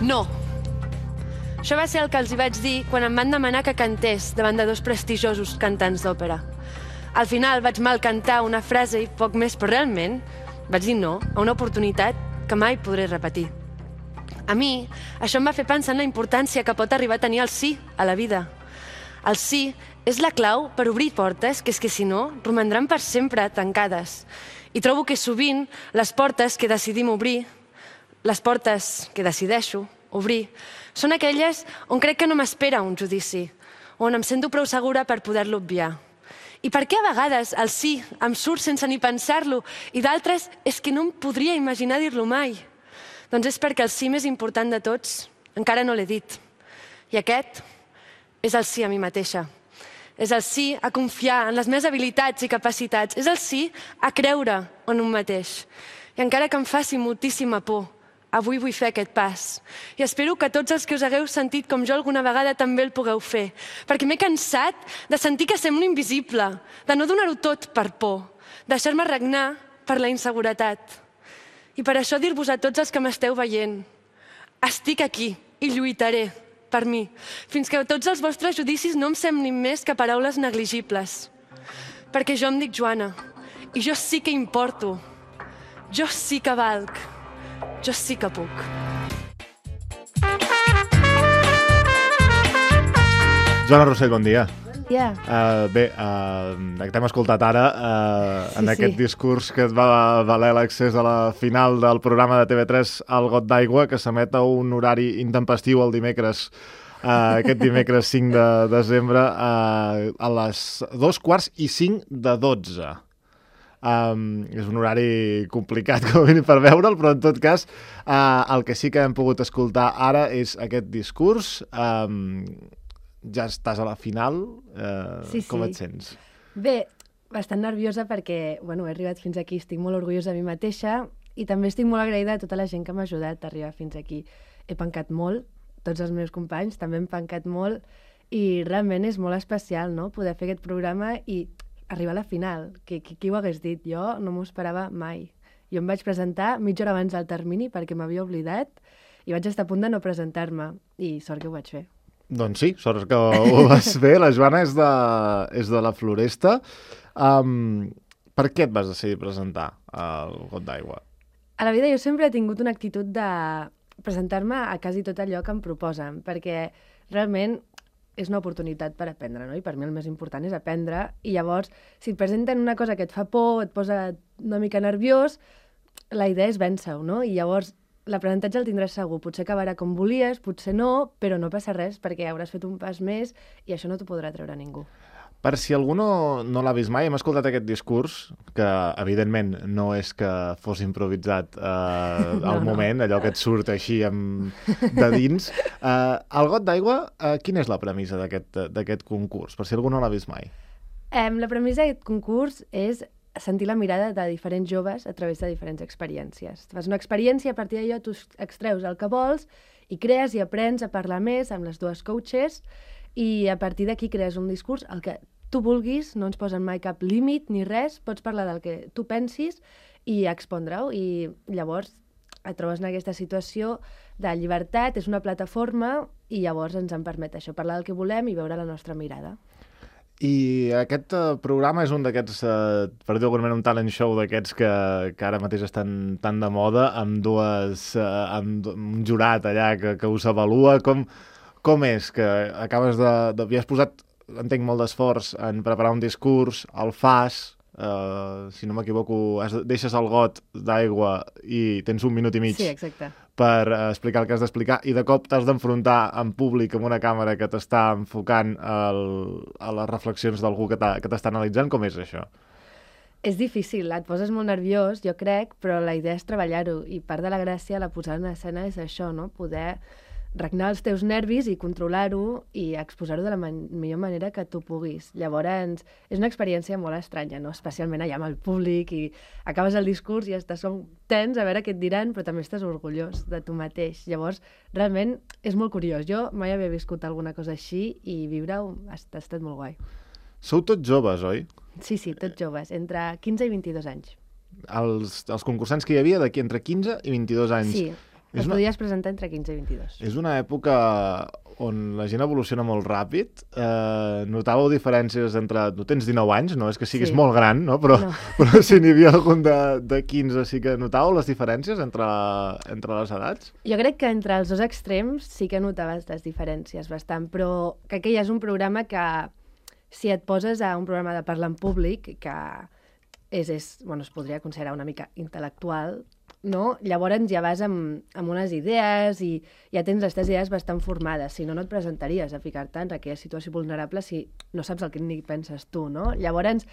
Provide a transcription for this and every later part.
No. Això va ser el que els hi vaig dir quan em van demanar que cantés davant de 2 prestigiosos cantants d'òpera. Al final vaig mal cantar una frase i poc més, però realment vaig dir no a una oportunitat que mai podré repetir. A mi, això em va fer pensar en la importància que pot arribar a tenir el sí a la vida. El sí és la clau per obrir portes que és que si no romandran per sempre tancades. I trobo que sovint les portes que decidim obrir, les portes que decideixo obrir, són aquelles on crec que no m'espera un judici, on em sento prou segura per poder-lo obviar. I per què a vegades el sí em surt sense ni pensar-lo i d'altres és que no em podria imaginar dir-lo mai? Doncs és perquè el sí més important de tots encara no l'he dit. I aquest és el sí a mi mateixa. És el sí a confiar en les meves habilitats i capacitats. És el sí a creure en un mateix. I encara que em faci moltíssima por, avui vull fer aquest pas. I espero que tots els que us hagueu sentit com jo alguna vegada també el pugueu fer. Perquè m'he cansat de sentir que semblo invisible, de no donar-ho tot per por, deixar-me regnar per la inseguretat. I per això dir-vos a tots els que m'esteu veient, estic aquí i lluitaré per mi, fins que tots els vostres judicis no em semblin més que paraules negligibles. Perquè jo em dic Joana, i jo sí que importo, jo sí que valc, jo sí que puc. Joana Rossell, bon dia. Bon dia. Bé, t'hem escoltat ara en aquest discurs que et va valer l'accés a la final del programa de TV3 El Got d'Aigua, que s'emet a un horari intempestiu el dimecres, aquest dimecres 5 de desembre, a les 2:45 és un horari complicat com a mínim per veure'l, però en tot cas el que sí que hem pogut escoltar ara és aquest discurs. Ja estàs a la final, com et sents? Bé, bastant nerviosa perquè he arribat fins aquí, estic molt orgullosa de mi mateixa i també estic molt agraïda a tota la gent que m'ha ajudat a arribar fins aquí. He pencat molt, tots els meus companys també han pencat molt i realment és molt especial, no?, poder fer aquest programa i arribar a la final, qui ho hagués dit? Jo no m'ho esperava mai. Jo em vaig presentar mitja hora abans del termini perquè m'havia oblidat i vaig estar a punt de no presentar-me i sort que ho vaig fer. Doncs sí, sort que ho vas fer. La Joana és de la Floresta. Per què et vas decidir presentar al Got d'Aigua? A la vida jo sempre he tingut una actitud de presentar-me a quasi tot allò que em proposen, perquè realment és una oportunitat per aprendre, no? I per mi el més important és aprendre. I llavors, si et presenten una cosa que et fa por, et posa una mica nerviós, la idea és vèncer-ho, no? I llavors l'aprenentatge el tindràs segur. Potser acabarà com volies, potser no, però no passa res perquè hauràs fet un pas més i això no t'ho podrà treure ningú. Per si algú no l'ha vist mai, hem escoltat aquest discurs, que evidentment no és que fos improvisat al moment, allò que et surt així de dins. El Got d'Aigua, quina és la premissa d'aquest concurs, per si algú no l'ha vist mai? La premissa d'aquest concurs és sentir la mirada de diferents joves a través de diferents experiències. Fas una experiència, a partir d'allò tu extreus el que vols i crees i aprens a parlar més amb les dues coaches i a partir d'aquí crees un discurs, el que tu vulguis, no ens posen mai cap límit ni res, pots parlar del que tu pensis i expondre-ho i llavors et trobes en aquesta situació de llibertat, és una plataforma i llavors ens en permet això, parlar del que volem i veure la nostra mirada. I aquest programa és un d'aquests, per dir d'alguna manera, un talent show d'aquests que ara mateix estan tan de moda, amb un jurat allà que us avalua. Com és que acabes de... Has posat, entenc, molt d'esforç en preparar un discurs, el fas, si no m'equivoco, deixes el got d'aigua i tens 1 minut i mig. Sí, exacte. Per explicar el que has d'explicar i de cop t'has d'enfrontar en públic amb una càmera que t'està enfocant a les reflexions d'algú que t'està analitzant. Com és això? És difícil, et poses molt nerviós, jo crec, però la idea és treballar-ho i part de la gràcia, la posada en escena és això, no? Poder regnar els teus nervis i controlar-ho i exposar-ho de la millor manera que tu puguis. Llavors, és una experiència molt estranya, no? Especialment allà amb el públic i acabes el discurs i estàs tens a veure què et diran, però també estàs orgullós de tu mateix. Llavors, realment, és molt curiós. Jo mai havia viscut alguna cosa així i viure-ho ha estat molt guai. Sou tots joves, oi? Sí, tots joves, entre 15 i 22 anys. Els concursants que hi havia d'aquí entre 15 i 22 anys. Sí, et podies presentar entre 15 i 22. És una època on la gent evoluciona molt ràpid. Notàveu diferències entre... Tu tens 19 anys, no és que siguis molt gran, no? Però si n'hi havia algun de 15, sí que notàveu les diferències entre les edats? Jo crec que entre els dos extrems sí que notaves les diferències bastant, però crec que ja és un programa que, si et poses a un programa de parlar en públic, que es podria considerar una mica intel·lectual, no? Llavors ja vas amb unes idees i ja tens les teves idees bastant formades. Si no, no et presentaries a ficar-te en aquella situació vulnerable si no saps el que ni penses tu, no? Llavors,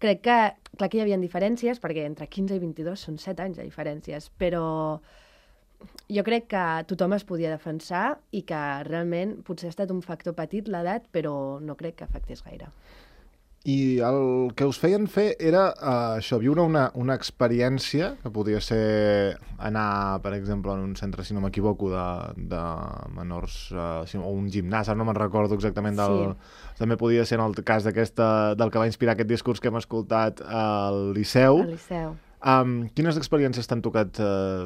crec que, clar que hi havia diferències, perquè entre 15 i 22 són 7 anys de diferències, però jo crec que tothom es podia defensar i que realment potser ha estat un factor petit l'edat, però no crec que afectés gaire. I el que us feien fer era això, viure una experiència, que podia ser anar, per exemple, en un centre, si no m'equivoco, de menors, o un gimnàs, ara no me'n recordo exactament del... Sí. També podia ser en el cas del que va inspirar aquest discurs que hem escoltat al Liceu. Al Liceu. Quines experiències t'han tocat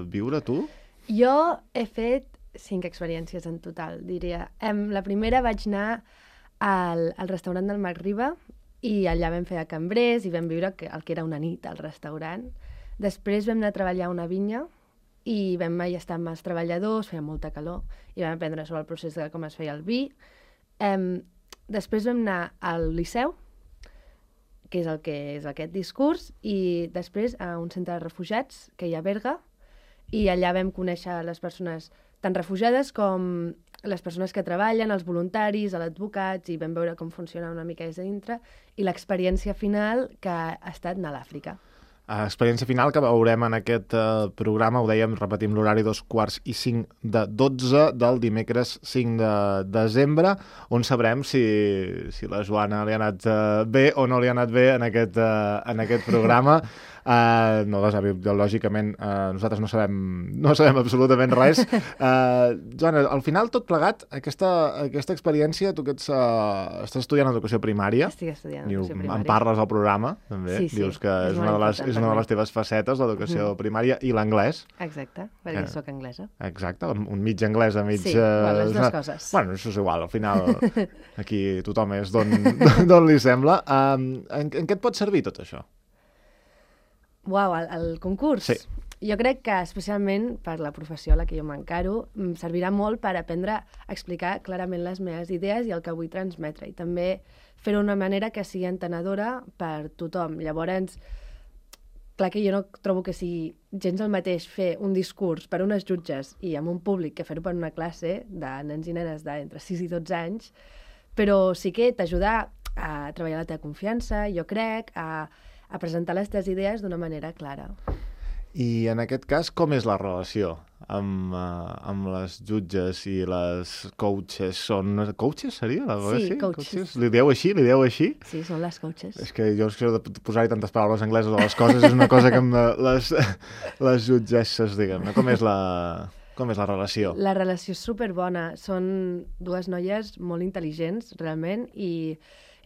viure, tu? Jo he fet 5 experiències en total, diria. La primera vaig anar al restaurant del Mac Riba, i allà vam fer de cambrers i vam viure el que era una nit al restaurant. Després vam anar a treballar a una vinya i vam estar amb els treballadors, feia molta calor, i vam aprendre sobre el procés de com es feia el vi. Després vam anar al Liceu, que és el que és aquest discurs, i després a un centre de refugiats que hi ha a Berga, i allà vam conèixer les persones tan refugiades com les persones que treballen, els voluntaris, els advocats, i vam veure com funciona una mica des de dintre, i l'experiència final que ha estat anar a l'Àfrica. Experiència final que veurem en aquest programa, ho dèiem, repetim l'horari 2:45 de 12 del dimecres 5 de desembre, on sabrem si la Joana li ha anat bé o no li ha anat bé en aquest programa. Lògicament, nosaltres no sabem absolutament res. Joana, al final, tot plegat, aquesta experiència, tu que estàs estudiant educació primària. Estic estudiant educació primària. En parles al programa, també. Sí. Dius que és una de les teves facetes, l'educació primària, i l'anglès. Exacte, perquè soc anglesa. Exacte, un mig anglès a mig... Sí, les dues coses. Bueno, això és igual, al final aquí tothom és d'on li sembla. En què et pot servir tot això? Uau, el concurs? Sí. Jo crec que especialment per la professió a la que jo m'encaro em servirà molt per aprendre a explicar clarament les meves idees i el que vull transmetre, i també fer-ho d'una manera que sigui entenedora per tothom. Llavors, clar que jo no trobo que sigui gens el mateix fer un discurs per unes jutges i amb un públic que fer-ho per una classe de nens i nenes d'entre 6 i 12 anys, però sí que t'ajuda a treballar la teva confiança, jo crec, a presentar les teves idees d'una manera clara. I en aquest cas, com és la relació amb les jutges i les coaches? Són coaches, seria? Sí, coaches. Li dieu així? Sí, són les coaches. És que jo de posar-hi tantes paraules angleses a les coses és una cosa que les jutgesses, diguem-ne. Com és la relació? La relació és superbona. Són dues noies molt intel·ligents, realment, i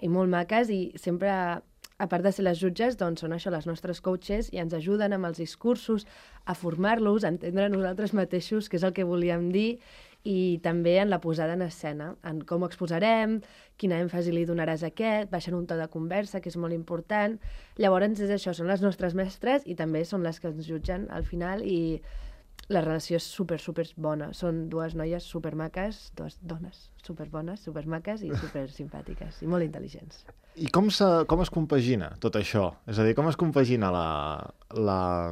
molt maques, i sempre... A part de ser les jutges, doncs són això, les nostres coaches, i ens ajuden amb els discursos a formar-los, a entendre nosaltres mateixos què és el que volíem dir, i també en la posada en escena, en com ho exposarem, quina èmfasi li donaràs a aquest, baixant un to de conversa, que és molt important. Llavors és això, són les nostres mestres i també són les que ens jutgen al final, i la relació és super bona. Són dues noies supermaques, dues dones superbones, supermaques i supersimpàtiques i molt intel·ligents. I com es compagina tot això? És a dir, com es compagina la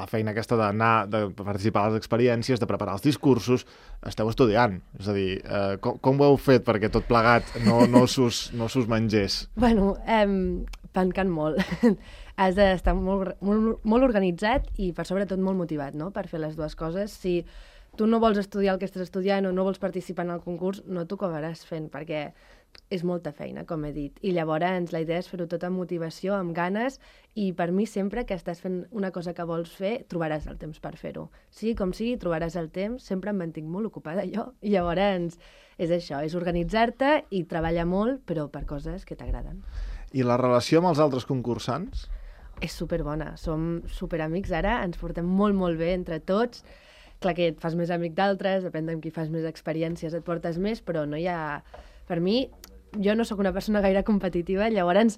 feina aquesta de participar a les experiències, de preparar els discursos? Esteu estudiant. És a dir, com ho heu fet perquè tot plegat no s'us mengés? Bueno, pencant molt. Has d'estar molt organitzat i, per sobretot, molt motivat, no?, per fer les dues coses. Si tu no vols estudiar el que estàs estudiant o no vols participar en el concurs, no t'ho acabaràs fent, perquè és molta feina, com he dit. I llavors la idea és fer-ho tot amb motivació, amb ganes, i per mi sempre que estàs fent una cosa que vols fer, trobaràs el temps per fer-ho. Sigui com sigui, trobaràs el temps, sempre em mantinc molt ocupada jo, i llavors és això, és organitzar-te i treballar molt, però per coses que t'agraden. I la relació amb els altres concursants? És superbona, som superamics ara, ens portem molt, molt bé entre tots. Clar que et fas més amic d'altres, depèn de qui fas més experiències, et portes més, però no hi ha... Per mi, jo no sóc una persona gaire competitiva, llavors,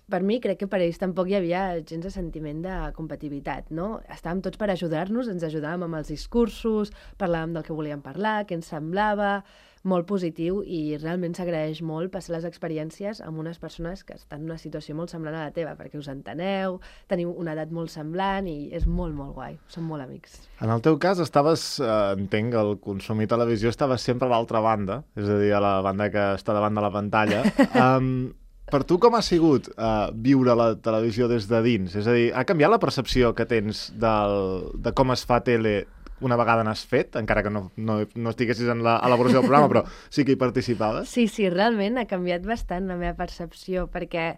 per mi, crec que per ells tampoc hi havia gens de sentiment de competitivitat, no? Estàvem tots per ajudar-nos, ens ajudàvem amb els discursos, parlàvem del que volíem parlar, què ens semblava, molt positiu, i realment s'agraeix molt passar les experiències amb unes persones que estan en una situació molt semblant a la teva, perquè us enteneu, teniu una edat molt semblant i és molt, molt guai. Som molt amics. En el teu cas estaves, entenc, al consumir televisió estaves sempre a l'altra banda, és a dir, a la banda que està davant de la pantalla. Per tu com ha sigut viure la televisió des de dins? És a dir, ha canviat la percepció que tens de com es fa tele una vegada n'has fet, encara que no estiguessis en l'elaboració del programa, però sí que hi participaves? Sí, realment ha canviat bastant la meva percepció, perquè,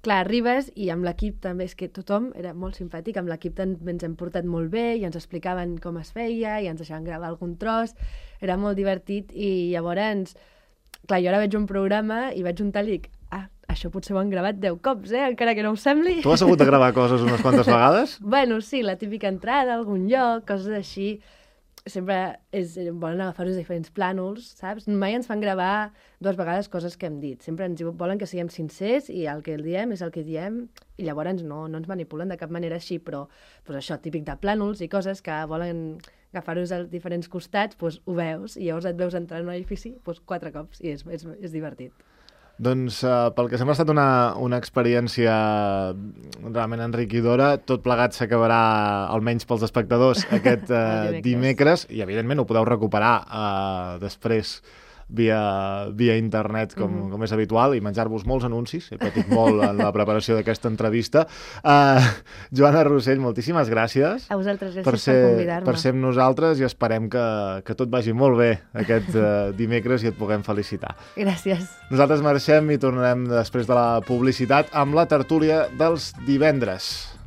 clar, arribes i amb l'equip també, és que tothom era molt simpàtic, amb l'equip també ens hem portat molt bé i ens explicaven com es feia i ens deixaven gravar algun tros, era molt divertit i llavors, clar, jo ara veig un programa i veig un tall i dic, això potser ho han gravat 10 cops, encara que no ho sembli. Tu has hagut de gravar coses unes quantes vegades? Bueno, sí, la típica entrada a algun lloc, coses així. Sempre volen agafar-nos diferents plànols, saps? Mai ens fan gravar 2 vegades coses que hem dit. Sempre ens volen que siguem sincers i el que el diem és el que diem i llavors no ens manipulen de cap manera així, però doncs això, típic de plànols i coses que volen agafar-nos a diferents costats, doncs ho veus i llavors et veus entrar en un edifici 4 cops i és divertit. Doncs pel que sembla ha estat una experiència realment enriquidora. Tot plegat s'acabarà, almenys pels espectadors, aquest dimecres i evidentment ho podeu recuperar després via internet, com és habitual, i menjar-vos molts anuncis. He patit molt en la preparació d'aquesta entrevista. Joana Rossell, moltíssimes gràcies. A vosaltres, gràcies per convidar-me. Per ser amb nosaltres i esperem que tot vagi molt bé aquest dimecres i et puguem felicitar. Gràcies. Nosaltres marxem i tornarem després de la publicitat amb la tertúlia dels divendres.